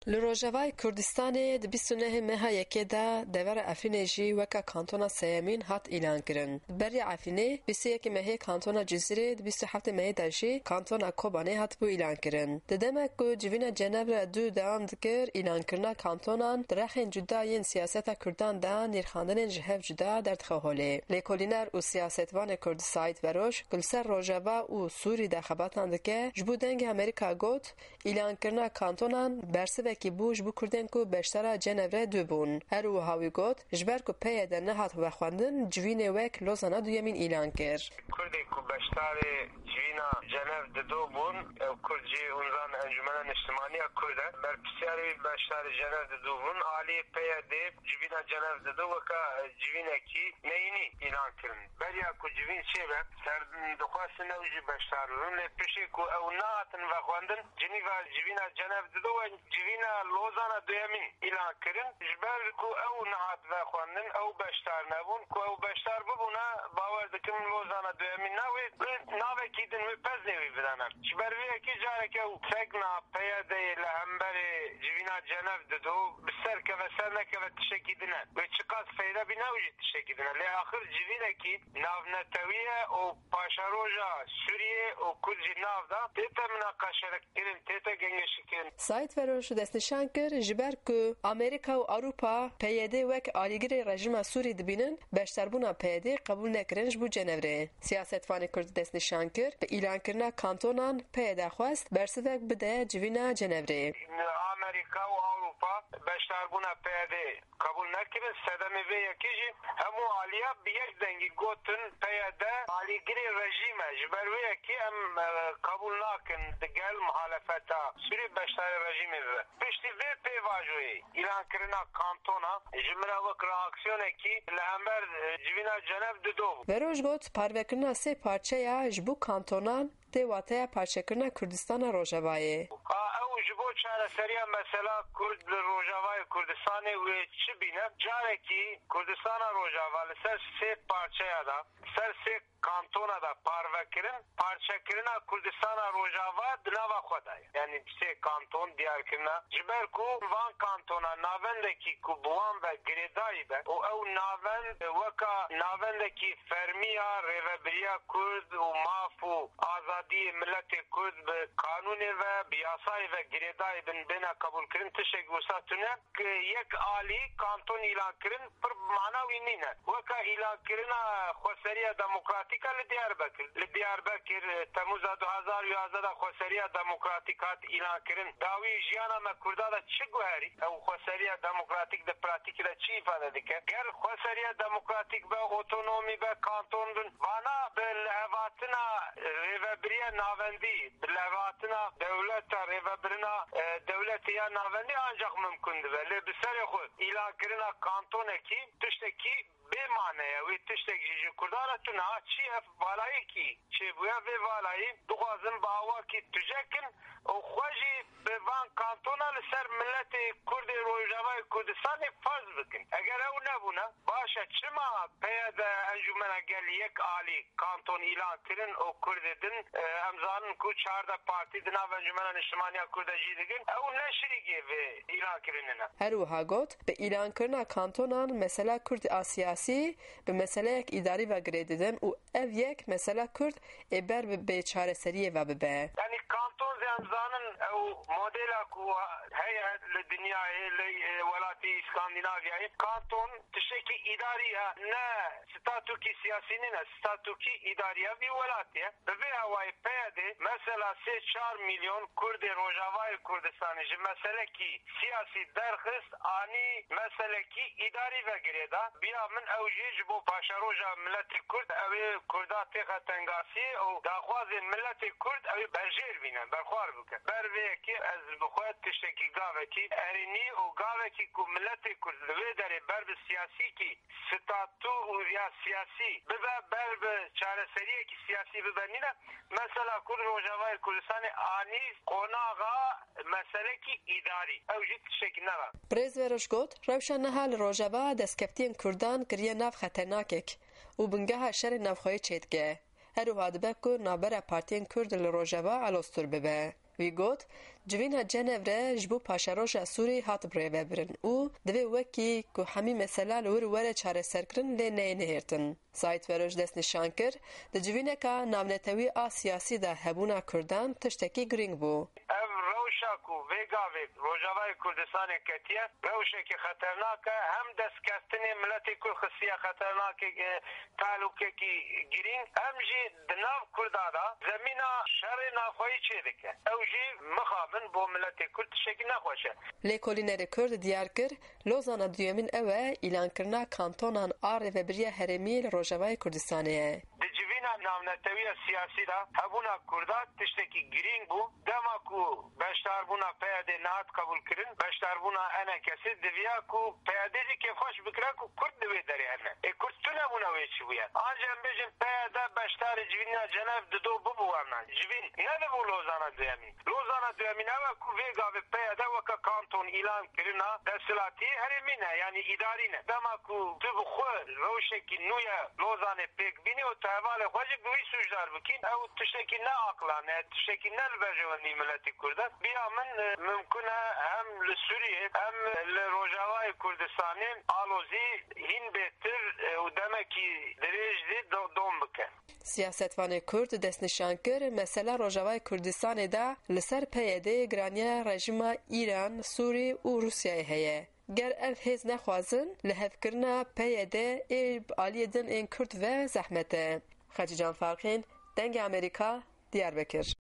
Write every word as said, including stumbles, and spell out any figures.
Li Rojavayê Kurdistanê di bîst û nehê meha yekê de devera Efrînê jî weke kantona sêyemîn hat îlankirin. Beriya Efrînê bîst û yekê mehê kantona Cizîrê, di bîst û heftê mehê de jî kantona Kobanê hatibû îlankirin. Di demek ku civîna Cenevre du dewam dikir, îlankirina kantonan di rexên cuda yên siyaseta Kurdan de nirxandinên ji hev cuda derdixe holê. Lêkolîner û siyasetvanê Kurd Saîd Veroş ku li ser Rojava û Sûrî de xebatan dike, ji bo Dengê Amerîka got, Îlankirina kantonan bersivekî bû ji bo Kurdên ku beşdara Cenevre du bûn. Her wiha wî got, ji ber ku P Y D nehat vexwendin, civînê wek Lozana duyemîn îlan kir. Kurdê ku beşdarê civîna Cenev dido bûn, ew Kurd jî hûn zanin Encûmena Niştimanî ya Kurd e. Berpirsyarê wî beşdarê Cenev dido bûn. Alî P Y D civîna Cenev dido weka civînekî neyînî îlan kirin. Beriya ku civîn çêbe, serdin dixwestin ew jî beşdar bibin, lê piştî ku ew nehatin vexwendin, Cinîva civîna Cenev dido we civîna Lozana duyemîn îlan kirin. Ji ber ku ew nehat vexwendin, ew beşdar nebûn. Ku ew beşdar bibûna, bawer dikim Lozana duyemîn na wê bi navekî din wê peznê wî bidana. Ji ber vê yekê careke ew fegna P Y D'yê li hemberê civîna Cenev dido, bi ser keve ser nekeve tiştekî din e. Wê çiqas feyde bîne ew jî tiştekî din e. Lê axir civînekî navnetewî ye û paşeroja Sûriyê û Kurd jî nav da tête minaqeşekirin, tête gengeşikirin. Saîd Veroş destnîşan kir, ji ber ku Amerîka û Ewropa P Y D wek alîgirê rejîma Sûrî dibînin, beşdarbûna P Y D qebûl nekirin ji bo Cenevrê. Siyasetvanê Kurd destnîşan kir, bi îlankirina kantonan P Y D xwest bersivek bide civîna Cenevrê. Amerîka û Ewropa beşdarbûna P Y D qebûl nekirin. Sedemê vê yekê jî hemû aliya bi yek dengî gotin P Y D alîgirê rejîm e. Ji ber wê yekê em, e, qebûl nakin digel muhalefeta Sûrî beşdarê rejîmê bibe. Piştî vê pêvajoyê îlankirina kantona ji min re wek reaksiyonekî li hember, e, civîna Cenev dido bû. Veroş got, parvekirina sê parçeya ji bo kantonan tê wateya parçekirina Kurdistana Rojavayê. A, ew ji bo çareseriya mesela Kurd li Rojavayê Kurdistanê wê çi bîne? Carekî Kurdistana Rojava li ser sê parçeya de, ser sê kantona de parve kirin, parçekirina Kurdistana Rojava di nava xwe de ye. Yanî sê kanton diyar kirina. Ji ber ku van kantona navendekî ku bi wan ve girêdayî be û ew navend weka navendekî fermî ya rêvebiriya Kurd û maf û azadiyê miletê Kurd bi qanûnê ve, bi yasayê ve girêdayî bin, bêne qebûlkirin, tiştek wisa tune. Yek alî kanton îlan kirin pir mana wî nîne. Weka îlankirina xweseriya demokratîk a li Diyarbekir. Li Diyarbekir, e, Temûza du hezar û yazdeh de xweseriya demokratîk hat îlankirin. Dawî jiyana me Kurda de çi guherî? Ew xweseriya demokratîk di pratîkê de çi îfade dike? Ger xweseriya demokratîk be, otonomî be, kanton bin, vana bi lihevatina rêvebiriya navendî, bi lihevatina dewleta, rêvebirina, e, dewletê ya navendî ancaq mimkun dibe. Lê bi serê xwe îlankirina kantonekî tiştekî bê mane ye. Wê tiştek jî ji Kurdan re tune. Ha çi ev valayekî çêbûye, vê valayî dixwazin bi awakî tuje kin û xwe jî bi van kantona li ser miletê Kurdê Rojavayê Kurdistanê ferz bikin. Eger ew nebûne, baş e, çima P Y D Encûmena Gel Yek Alî kanton îlan kirin û Kurdê din, e, em zanin ku çardeh partî di nav Encûmena Niştimaniya Kurd de cî digin, ew ne şirîkê vê îlan kirinê ne. Her wiha got, bi îlankirina kantonan mesela Kurd a siyasî bi meseleyek îdarî ve girê didin û ev yek mesela Kurd ê ber bi bêçareseriyê ve bibe. Yanî kanton zî em zanin ew modela ku heye li dinyayê, li, e, welatê Îskandînavyayê, kanton tiştekî îdarî ye, ne statûkî siyasî nîne, statûkî îdarî ya vî welatê ye. Bi vê hawayê P Y D mesela sê çar milyon Kurdê Rojavayê Kurdistanê ji meselekî siyasî derxist, anî meselekî îdarî ve girê da. Biya min ew jî ji bo paşeroja miletê Kurd, ew ê Kurda têxe tengasiyê û daxwazên miletê Kurd ew ê berjêr bîne, berxwar bike. Ber vê yekê ez bi xwe tiştekî gavekî erênî û gavekî ku miletê Kurd li wê derê ber bi siyasîkî statû û ya siyasî bibe, ber bi çareseriyekî siyasî bibe nîne. Mesela Kurd Rojavayê Kurdistanê anî qonaxa meselekî îdarî. Ew jî tiştekî ne re. Birêz Veroş got, rewşa niha li Rojava destkeftiyên Kurdan kiriye nav xeternakek û bingeha şerê navxweyî çêdike. Her wiha dibe ku navbera partiyên Kurd li Rojava aloztir bibe. Wî got, Civîna Cenevre ji bo paşeroja Sûrî hat birêvebirin û divê wekî ku hemî mesela li wir were çareserkirin lê neyê nihêrtin. Saîd Feroş destnîşan kir, di civîneka navnetewî a siyasî de hebûna Kurdan tiştekî girîng bû. Ev rewşa ku vê gavê Rojavayê Kurdistanê ketiye, rewşekî xeternak e, hem destkeftinê miletê Kurd xistiye xeternakê, e, tehlûkekî girîng, hem jî di nav Kurda de zemîna şerê navxweyî çêdike. Ew jî mixabin bo miletê Kurd tiştekî nexweş e. Lêkolînerê Kurd diyar kir, Lozana duyemîn ew e, îlankirina kantonan a rêvebiriya herêmî li Rojavayê Kurdistanê ye. Di civîna navnetewiya siyasî de hebûna Kurda tiştekî girîng bû. Dema ku beşdarbûna P Y D nehat qebûlkirin, beşdarbûna E N K'ê diviya ku P Y D jî kêfxweş bikira ku Kurd di wê derê hene. Ê Kurd tune bûne wê çi bûye? An jî em bêjin P Y D beşdarê civîna Cenev dido bibû werne. Civîn nedibû Lozana duyemîn. Lozana duyemîn ew e ku vê gavê P Y D weke kanton îlan kirina desthilatî herêmî ne, yanî îdarî ne. Dema ku tu bi xwe rewşekî nû ye Lozanê pêk bînî û tu hevalê xwe jî bi wî sûcdar bikî, ew tiştekî ne aqilane, tiştekî ne li berjewendî miletê Kurd e. Bi ya min, e, mimkun e hem li Sûriyê hem li Rojavayê Kurdistanê alozî hîn bêtir, e, û demekî dirêj zî do-, dom bike. Siyasetvanê Kurd destnîşan kir, mesela Rojavayê Kurdistanê de li ser P Y D giraniya rejîma Îran, Sûrî û Rûsyayê heye. Ger ev hêz nexwazin, lihevkirina P Y D ê bi aliyê din ên Kurd ve zehmet e. Xecîcan Farqîn, Dengê Amerîka, Diyarbekir.